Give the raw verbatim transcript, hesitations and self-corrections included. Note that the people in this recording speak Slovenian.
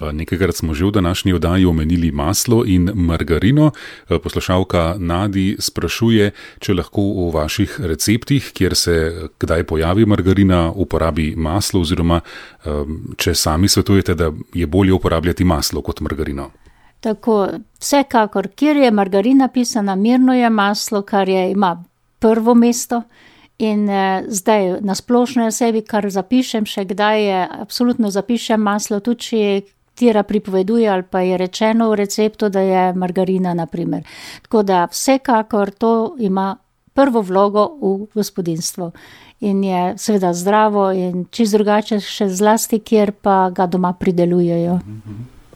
Nekajkrat smo že v današnji oddaji omenili maslo in margarino. Poslušalka Nadi sprašuje, če lahko v vaših receptih, kjer se kdaj pojavi margarina, uporabi maslo oziroma če sami svetujete, da je bolje uporabljati maslo kot margarino. Tako, vsekakor, kjer je margarina pisana, mirno je maslo, kar je, ima prvo mesto. In eh, zdaj na splošno sebi, kar zapišem, še kdaj je, absolutno zapišem maslo, tudi če tira pripoveduje ali pa je rečeno v receptu, da je margarina, na primer. Tako da vsekakor to ima prvo vlogo v gospodinstvu in je seveda zdravo in čisto drugače še zlasti, kjer pa ga doma pridelujejo. Mm-hmm.